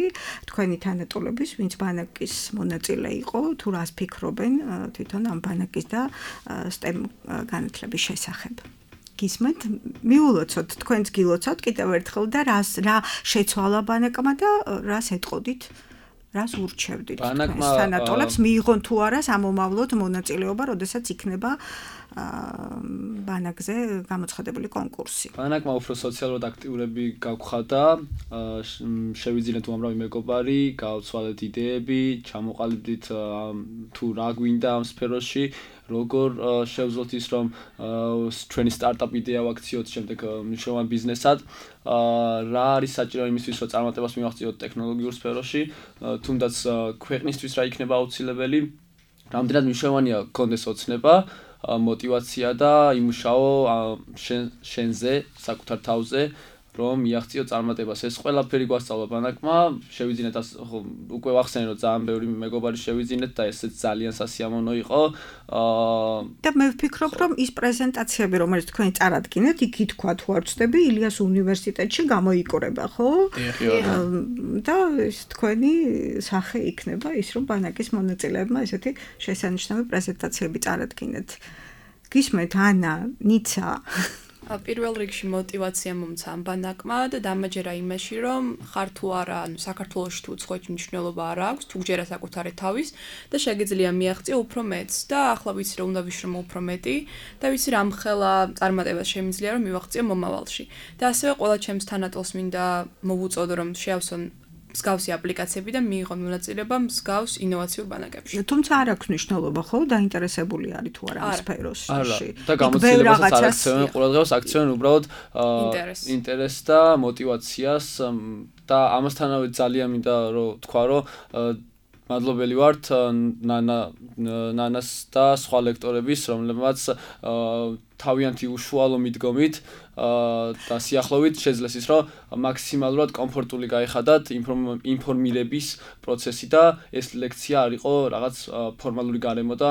თქვენი თანატოლების, ვინც ბანაკის მონაწილე იყო, თუ რას ფიქრობენ თვითონ ამ ბანაკის და STEM განათლების შესახებ. გისმენთ, მიულოცოთ, თქვენც გილოცავთ კიდევ ერთხელ და რა შეცვალა ბანაკმა და რას ეტყოდით, რას ურჩევდით თქვენს თანატოლებს, მიიღონ თუ არა სამომავლოდ მონაწილეობა, როდესაც იქნება ბანაკზე გამოცხადებული კონკურსი. ბანაკმა უფრო სოციალურად აქტიურები გავხადა, შევიძინეთ უამრავი მეგობარი, გავცვალეთ იდეები, ჩამოყალიბდით თუ რა გვინდა ამ სფეროში, როგორ შევძლოთ ის რომ ჩვენი სტარტაპ იდეა ვაქციოთ შემდეგ მნიშვნელოვან ბიზნესად, რა არის საჭირო იმისთვის რომ წარმატებას მივაღწიოთ ტექნოლოგიურ სფეროში, თუნდაც ქვეყნისთვის რა იქნება აუცილებელი, რამდენად მნიშვნელოვანია გქონდეს ოცნება, мотиваცია და იმუშაო შენზე, საკუთარ თავზე, რომ მიაღწიო წარმატებას. ეს ყველაფერი გვასწავლა ბანაკმა, შევიძინეთ უკვე ვახსენე რომ ძალიან ბევრი მეგობარი შევიძინეთ და ესეც ძალიან სასიამოვნო იყო. და მე ვფიქრობ რომ ის პრეზენტაციები რომელიც თქვენი წარადგინეთ, იქ თქვა თუ არ ვწდები, ილიას უნივერსიტეტში გამოიკრება, ხო? და ეს თქვენი სახე იქნება ის რომ ბანაკის მონაწილეებმა ესეთი შესანიშნავი პრეზენტაციები წარადგინეთ. გისმენთ ანა, ნიცა პირველ რიგში мотиваცია მომცა ამ ბანაკმა და დამაჯერა იმაში, რომ ხარ თუ არა, ანუ საქართველოში თუ უცხოეთში მნიშვნელობა არ აქვს, თუ გჯერა საკუთარი თავის და შეგიძლია მიაღწიო უფრო მეტს და ახლა ვიცი რომ უნდა ვიშრომო უფრო მეტი და ვიცი რომ ხელა წარმატებას შემიძლია რომ მივაღწიო მომავალში. და ასევე ყველა ჩემს თანატოლს მინდა მოვუწოდო რომ შეავსონ მსგავსი აპლიკაციები და მიიღონ მონაწილეობა მსგავს ინოვაციურ ბანაკებში. თუმცა არ აქვს მნიშვნელობა, ხო, დაინტერესებული არის თუ არა ამ სფეროში. და გამოცდილებასაც არ აქცევენ, ყურადღებას აქცევენ უბრალოდ ინტერესს და мотиваციას და ამასთანავე ძალიან მინდა რომ თქვა რომ მადლობელი ვართ ნანას და სხვა ლექტორების, რომლებმაც თავიანთი უშუალო მიდგომით და სიახლოვით შეძლეს ის, რომ მაქსიმალურად კომფორტული გაიხადათ ინფორმირების პროცესი და ეს ლექცია არ იყო რაღაც ფორმალური გარემო და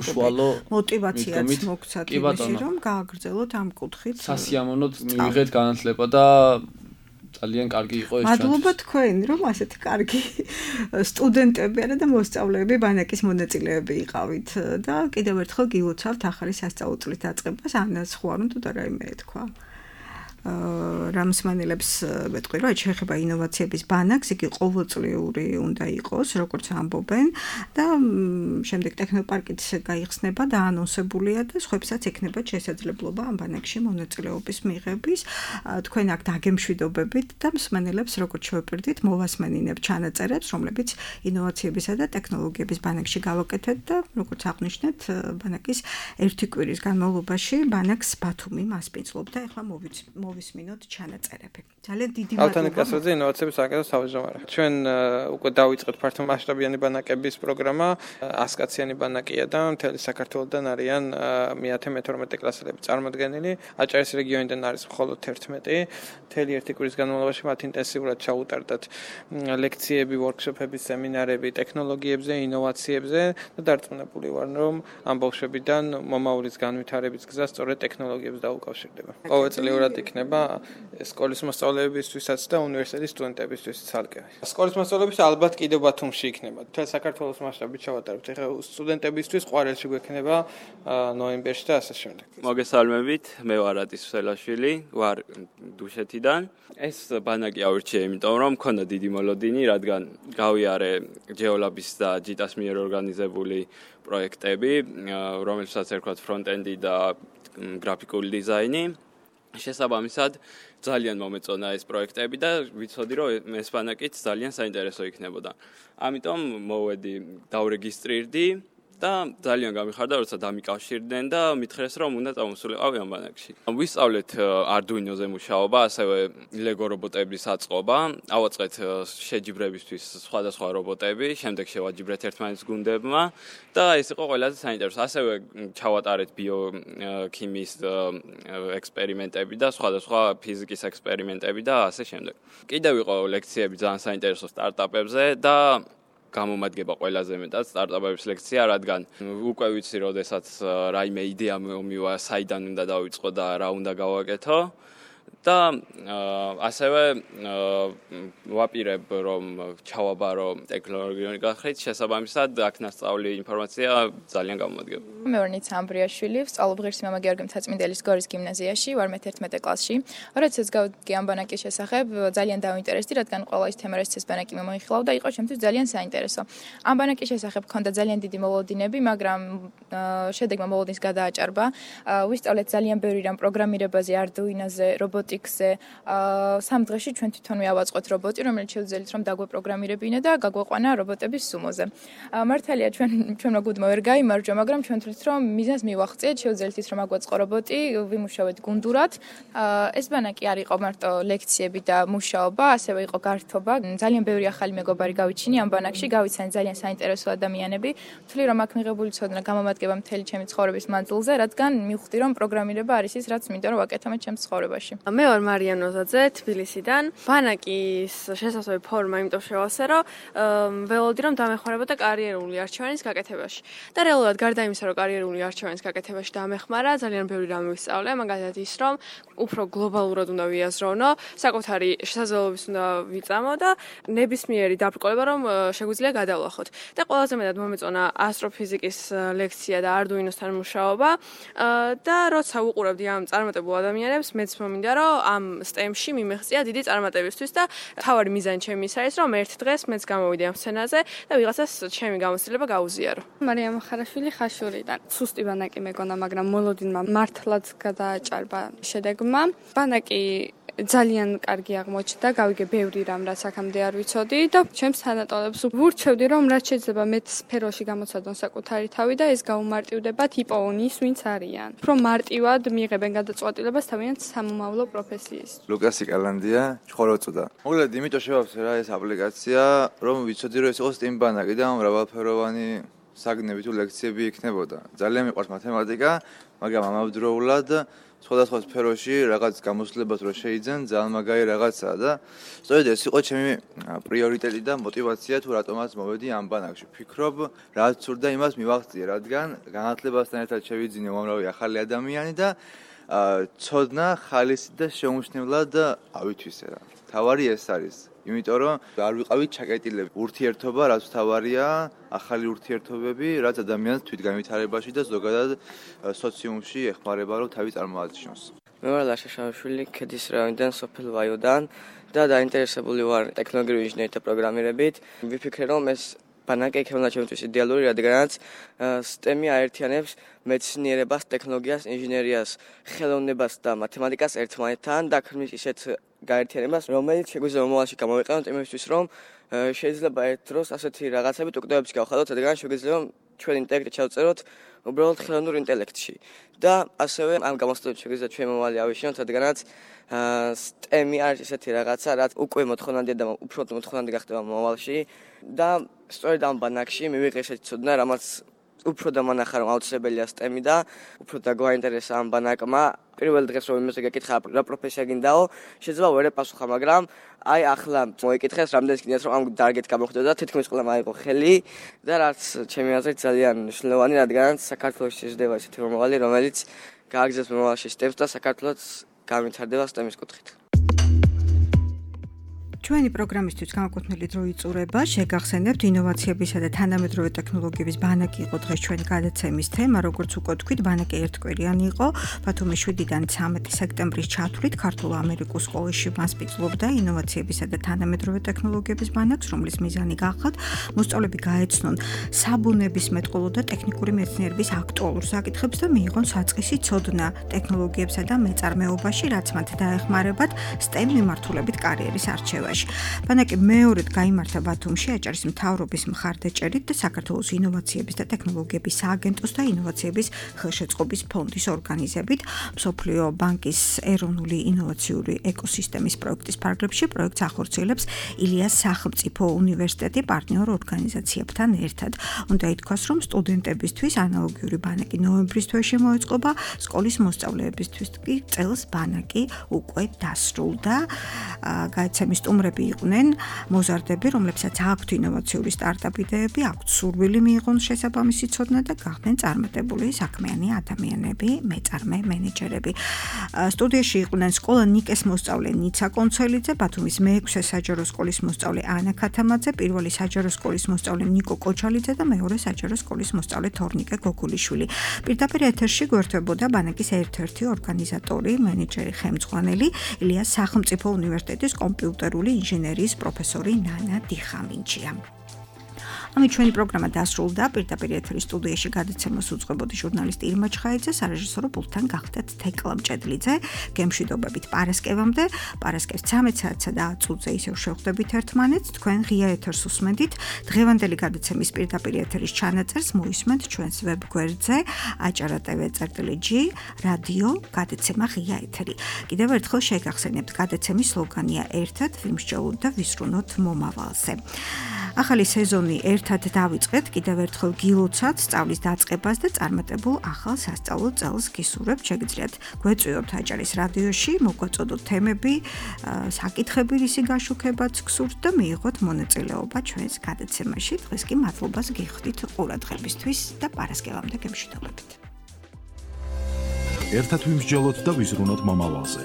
უშუალო мотиваციაც მოგცათ იმაში, რომ გააგრძელოთ ამ კუთხით. სასიამოვნოდ მივიღეთ განათლება და ძალიან კარგი იყო ეს. მადლობა თქვენ, რომ ასეთი კარგი სტუდენტები არა და მოსწავლეები ბანაკის მონაწილეები იყავით და კიდევ ერთხელ გილოცავთ ახალი სასწავლო წლის დაწყებას, ანას ხვარუნ თუ და რაიმე თქვა. რამსმენელებს ვეთქვი, რომ შეიძლება ინოვაციების ბანაკს, იგი ყოველწლიური უნდა იყოს, როგორც ამბობენ და შემდეგ ტექნოპარკიც გაიხსნება და ანონსებულია და სხვებსაც ექნება შესაძლებლობა ამ ბანაკში მონაწილეობის მიღების. თქვენ აქ დაგემშვიდობებით და მსმენელებს როგორც შევეპირდით, მოვასმენინებ ჩანაწერებს, რომლებიც ინოვაციებისა და ტექნოლოგიების ბანაკში გავაკეთეთ და როგორც აღნიშნეთ, ბანაკის ერთი კვირის განმავლობაში ბანაკს ბათუმი მასპინძლობდა. ეხლა მოვისმინოთ ჩანაწერები. ძალიან დიდი მადლობა. ალთანიკასაძე ინოვაციების საკითხის თავმჯდომარე. ჩვენ უკვე დავიწყეთ ფართომასშტაბიანი ბანაკების პროგრამა, 100 კაციანი ბანაკია და მთელი საქართველოდან არიან მე-10-12 კლასელები წარმოდგენილი. აჭარის რეგიონიდან არის მხოლოდ 11. მთელი ერთი კვირის განმავლობაში მათ ინტენსიურად ჩაუტარდათ ლექციები, ვორქშოპები, სემინარები ტექნოლოგიებზე, ინოვაციებზე და დარწმუნებული ვარ, რომ ამ ბავშვებიდან მომავლის განვითარების გზა სწორედ ტექნოლოგიებს დაუკავშირდება. ყოველწლიურად იქნება სკოლის მოსწავლეებისთვისაც და უნივერსიტეტის სტუდენტებისთვის ცალკე. სკოლის მოსწავლეების ალბათ კიდევ ბათუმში იქნება. მთელ საქართველოს მასშტაბით ჩავატარებთ. ეხლა სტუდენტებისთვის ყვარელში გვექნება ნოემბერში და ასე შემდეგ. მოგესალმებით, მე ვარ ატის ვსელაშვილი, ვარ დუშეთიდან. ეს ბანაკი ავირჩიე, იმიტომ რომ მქონდა დიდი მოლოდინი, რადგან გავიარე ჯეოლაბის და ჯიტას მიერ ორგანიზებული პროექტები, რომელსაც ერქვათ ფრონტენდი და გრაფიკული დიზაინი. შესაბამისად, ძალიან მომეწონა ეს პროექტები და ვიცოდი, რომ ეს ბანაკიც ძალიან საინტერესო იქნებოდა. ამიტომ მოვედი, დავრეგისტრირდი და ძალიან გამიხარდა, როცა დამიკავშირდნენ და მითხრეს, რომ უნდა წამოსულიყავი ამ ბანაკში. ვისწავლეთ Arduino-ზე მუშაობა, ასევე Lego რობოტების აწყობა, ავაწყეთ შეჯიბრებისთვის სხვადასხვა რობოტები, შემდეგ შევაჯიბრეთ ერთმანეთს გუნდებმა და ეს იყო ყველაზე საინტერესო. ასევე ჩავატარეთ ბიოქიმიის ექსპერიმენტები და სხვადასხვა ფიზიკის ექსპერიმენტები და ასე შემდეგ. კიდევ იყო ლექციები ძალიან საინტერესო სტარტაპებზე და გამომადგება ყველაზე მეტად სტარტაპების ლექცია, რადგან უკვე ვიცი, როდესაც რაიმე იდეა მომივა, საიდან უნდა დავიწყო და რა უნდა გავაკეთო. და ასევე ვაპირებ, რომ ჩავაბარო ტექნოლოგიური გახლით, შესაბამისად აქ ნასწავლი ინფორმაცია ძალიან გამომადგება. მე ვარ ნიცა ამბრიაშვილი, ვსწავლობ ღირსი მამა გიორგი მცაწმინდელის გორის გიმნაზიაში, ვარ მე-11 კლასში. როდესაც გავიგე ამ ბანაკის შესახებ, ძალიან დავინტერესდი, რადგან ყველა ის თემა, რასაც ეს ბანაკი მომიხილავდა, იყო ჩემთვის ძალიან საინტერესო. ამ ბანაკის შესახებ მქონდა ძალიან დიდი მოლოდინები, მაგრამ შედეგმა მოლოდინს გადააჭარბა. ვისწავლეთ ძალიან ბევრი რამ პროგრამირებაზე, Arduino-ზე, რობოტიკზე. 3 დღეში ჩვენ თვითონვე ავაწყოთ რობოტი, რომელიც შევძელით რომ დაგვეპროგრამირებინა და გაგვეყვანა რობოტების სუმოზე. მართალია ჩვენმა გუნდმა ვერ გაიმარჯვა, მაგრამ ჩვენ თვლით რომ მიზანს მივახციეთ, შევძელით ის რომ აგვაწყო რობოტი, ვიმუშავეთ გუნდურად. ეს ბანაკი არ იყო მარტო ლექციები და მუშაობა, ასევე იყო გართობა. ძალიან ბევრი ახალი მეგობარი გავიჩინე ამ ბანაკში, გავიცანი ძალიან საინტერესო ადამიანები. ვთვლი რომ აქ მიღებული ცოდნა გამომადგება მთელი ჩემი ცხოვრების მანძილზე, რადგან მივხვდი რომ პროგრამირება არის ის, რაც მინდა რომ ვაკეთო მე ჩემს ცხოვრებაში. მე ვარ მარია ნოზაძე თბილისიდან. ბანაკის შესაძლებელი ფორმა იმიტომ შევავსე, რომ ველოდი რომ დამეხმარებოდა კარიერული არჩევანის გაკეთებაში. და რეალურად გარდა იმისა, რომ კარიერული არჩევანის გაკეთებაში დამეხმარა, ძალიან ბევრი რამ ვისწავლე, მაგალითად ის, რომ უფრო გლობალურად უნდა ვიაზროვნო, საკუთარი შესაძლებლობების უნდა ვიწამო და ნებისმიერი დაბრკოლება რომ შეგვიძლია გადავლახოთ. და ყველაზე მეტად მომეწონა ასტროფიზიკის ლექცია და Arduino-სთან მუშაობა და როცა ვუყურებდი ამ წარმატებულ ადამიანებს, მეც მომინდა რომ ამ STEM-ში მიმეღწია დიდი წარმატებისთვის და თავარი მიზანი ჩემი ის არის, რომ ერთ დღეს მეც გამოვიდე ამ სცენაზე და ვიღაცას ჩემი გამოცდილება გაუზიარო. მარია მხარაშვილი ხაშურიდან. სუსტი ბანაკი მეგონა, მაგრამ მოლოდინმა მართლაც გადააჭარბა შედეგმა. ბანაკი ძალიან კარგი აღმოჩნდა, გავიგე ბევრი რამ, რაც აქამდე არ ვიცოდი და ჩემს თანატოლებს ვურჩევდი, რომ რაც შეიძლება მეტ სფეროში გამოცადონ საკუთარი თავი და ეს გაუმარტივდებათ იპოვნის, ვინც არიან. უფრო მარტივად მიიღებენ გადაწყვეტილებას თავიანთ სამომავლო პროფესიის. ლუკასი კალანდია, ხოროწოდა. მოგლედ, იმიტომ შევავსე რა ეს აპლიკაცია, რომ ვიცოდი, რომ ეს იყოს STEM ბანაკი და მრავალფეროვანი საგნები თუ ლექციები იქნებოდა. ძალიან მიყვარს მათემატიკა, მაგრამ ამავდროულად სხვადასხვა სფეროში რაღაც გამოცდილებას რო შეიძენ, ძალიან მაგარი რაღაცაა და სწორედ ეს იყო ჩემი პრიორიტეტი და мотиваცია თუ რატომაც მოვედი ამ ბანაკში. ვფიქრობ, რაც სურდა იმას მივაღწიე, რადგან განათლებასთან ერთად შევიძინე უამრავი ახალი ადამიანი და ცოდნა ხალისი და შეუმჩნევლად ავითვისე რა. თავარი ეს არის. იმიტომ რომ არ ვიყავით ჩაკეტილები. ურთიერთობა რაც თავარია, ახალი ურთიერთობები, რაც ადამიანს თვითგანვითარებაში და ზოგადად სოციუმში ეხმარება რომ თავი წარმოაჩინოს. მე ვარ ლაშა შავშვილი, ქედის რაიონიდან, სოფელ ვაიოდან და დაინტერესებული ვარ ტექნოლოგიური ინჟინერითა პროგრამირებით. ვიფიქრე, რომ ეს ბანაკი იქნება ჩემთვის იდეალური, რადგანაც STEM-ი აერთიანებს მეცნიერებას, ტექნოლოგიას, ინჟინერიას, ხელოვნებას და მათემატიკას ერთმანეთთან და ქმნის ისეთ გაერთიანებას, რომელიც შეგვიძლია მომავალში გამოვიყენოთ იმისთვის, რომ შეიძლება ერთ დროს ასეთი რაღაცებით უკდებებს გავხადოთ, რადგან შეგვიძლია ჩვენ ინტელექტი ჩავწეროთ უბრალოდ ხელოვნურ ინტელექტში. და ასევე ამ გამოსვლით შეგვიძლია ჩვენ მომავალი ავიშინოთ, რადგანაც STEM-ი არის ესეთი რაღაცა, რაც უკვე მოთხოვნადია და უფრო მოთხოვნადი გახდება მომავალში და სწორედ ამ ბანაკში მივიღე ესეთი ცოდნა, რამაც უფრო დამანახა, რომ აუცილებელია STEM-ი და უფრო დაგვაინტერესა ამ ბანაკმა. პირველ დღეს რომ იმაზე გეკითხა, რა პროფესია გინდაო, შეიძლება ვერ ეპასუხა, მაგრამ აი ახლა მოიკითხეს, რამდენიც გინდათ რომ ამ დარგით გამოხდეთ და თითქმის ყველა მაიღო ხელი და რაც ჩემი აზრით ძალიან მნიშვნელოვანი, რადგანაც საქართველოში შეждდება ესეთი მომავალი, რომელიც გააგზავნოს მომავალში STEM-ს და საქართველოს განვითარდება STEM-ის კუთხით. ჩვენი პროგრამისთვის განკუთვნილი დრო იწურება. შეგახსენებთ, ინოვაციებისა და თანამედროვე ტექნოლოგიების ბანაკი იყო დღეს ჩვენი გადაცემის თემა. როგორც უკვე თქვით, ბანაკი ერთკვირიანი იყო. ბათუმის 7-დან 13 სექტემბრის ჩათვლით ქართულ-ამერიკულ სკოლაში მასპინძლობდა ინოვაციებისა და თანამედროვე ტექნოლოგიების ბანაკს, რომლის მიზანი გახლავთ მოსწავლეები გაეცნონ საბუნებისმეტყველო და ტექნიკური მეცნიერების აქტუალურ საკითხებს და მიიღონ საწყისი ცოდნა ტექნოლოგიებსა და მეწარმეობაში, რაც მათ დაეხმარებათ STEM მიმართულებით კარიერის არჩევაში. ბანაკი მეორედ გაიმართა ბათუმში აჭარის მთავრობის მხარდაჭერით და საქართველოს ინოვაციების და ტექნოლოგიების სააგენტოს და ინოვაციების ხელშეწყობის ფონდის ორგანიზებით. მსოფლიო ბანკის ეროვნული ინოვაციური ეკოსისტემის პროექტის ფარგლებში პროექტს ახორციელებს ილიას სახელმწიფო უნივერსიტეტი პარტნიორ ორგანიზაციებთან ერთად. უნდა ითქვას, რომ სტუდენტებისთვის ანალოგიური ბანაკი ნოემბრის თვეში მოეწყობა, სკოლის მოსწავლეებისთვის კი წელს ბანაკი უკვე დასრულდა. გაიცემის სტუმრები იყვნენ მოზარდები, რომლებსაც აქვთ ინოვაციური სტარტაპ იდეები, აქვთ სურვილი მიიღონ შესაბამისი ცოდნა და გახდნენ წარმატებული საქმიანი ადამიანები, მეწარმე მენეჯერები. სტუდიაში იყვნენ სკოლა ნიკეს მოსწავლე ნიცა კონცელიძე, ბათუმის მე-6 საჯარო სკოლის მოსწავლე ანა ქათამაძე, პირველი საჯარო სკოლის მოსწავლე ნიკო კოჩალიძე და მეორე საჯარო სკოლის მოსწავლე თორნიკე გოგულიშვილი. პირდაპირ ეთერში გვერდებოდა ბანაკის ერთ-ერთი ორგანიზატორი, მენეჯერი ხელმძღვანელი ილიას სახელმწიფო უნივერსიტეტის კომპიუტერული ინჟინერიის პროფესორი ნანა დიხამინჯია. ამით ჩვენი პროგრამა დასრულდა. პირდაპირ ეთერის სტუდიაში გადაცემას უძღვებოდი ჟურნალისტი ირმა ჩხაიძე, სარეჟისორო პულტთან გახდათ თეკლა მჭედლიძე. გემშვიდობებით პარასკევამდე, პარასკევს 13 საათსა და 10 წუთზე ისევ შევხვდებით ერთმანეთს. თქვენ ღია ეთერს უსმენთ. დღევანდელი გადაცემის პირდაპირ ეთერის ჩანაწერს მოისმენთ ჩვენს ვებგვერდზე acara.tv/g რადიო გადაცემა ღია ეთერი. კიდევ ერთხელ შეგახსენებთ, გადაცემის სლოგანია ერთად ვიმსჯელოთ და ვისრუნოთ მომავალზე. ახალი სეზონი ერთად დავიწყეთ, კიდევ ერთხელ გილოცავთ სწავლის დაწყებას და წარმატებულ ახალ სასწავლო წელს გისურვებთ. შეგიძლიათ გვეწვიოთ აჭარის რადიოში, მოგვაწოდოთ თემები, საკითხები, რისი გაშუქებაც გსურთ და მიიღოთ მონაწილეობა ჩვენს გადაცემაში. დღეს კი მადლობას გიხდით ყურადღებისთვის და პარასკევამდე გემშვიდობებით. ერთად ვიმსჯელოთ და ვიზრუნოთ მომავალზე.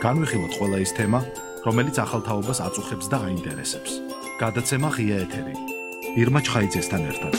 განვიხილოთ ყველა ის თემა, რომელიც ახალ თაობას აწუხებს და აინტერესებს. გადაცემა ღია ეთერი. ირმა ჩხაიძესთან ერთად.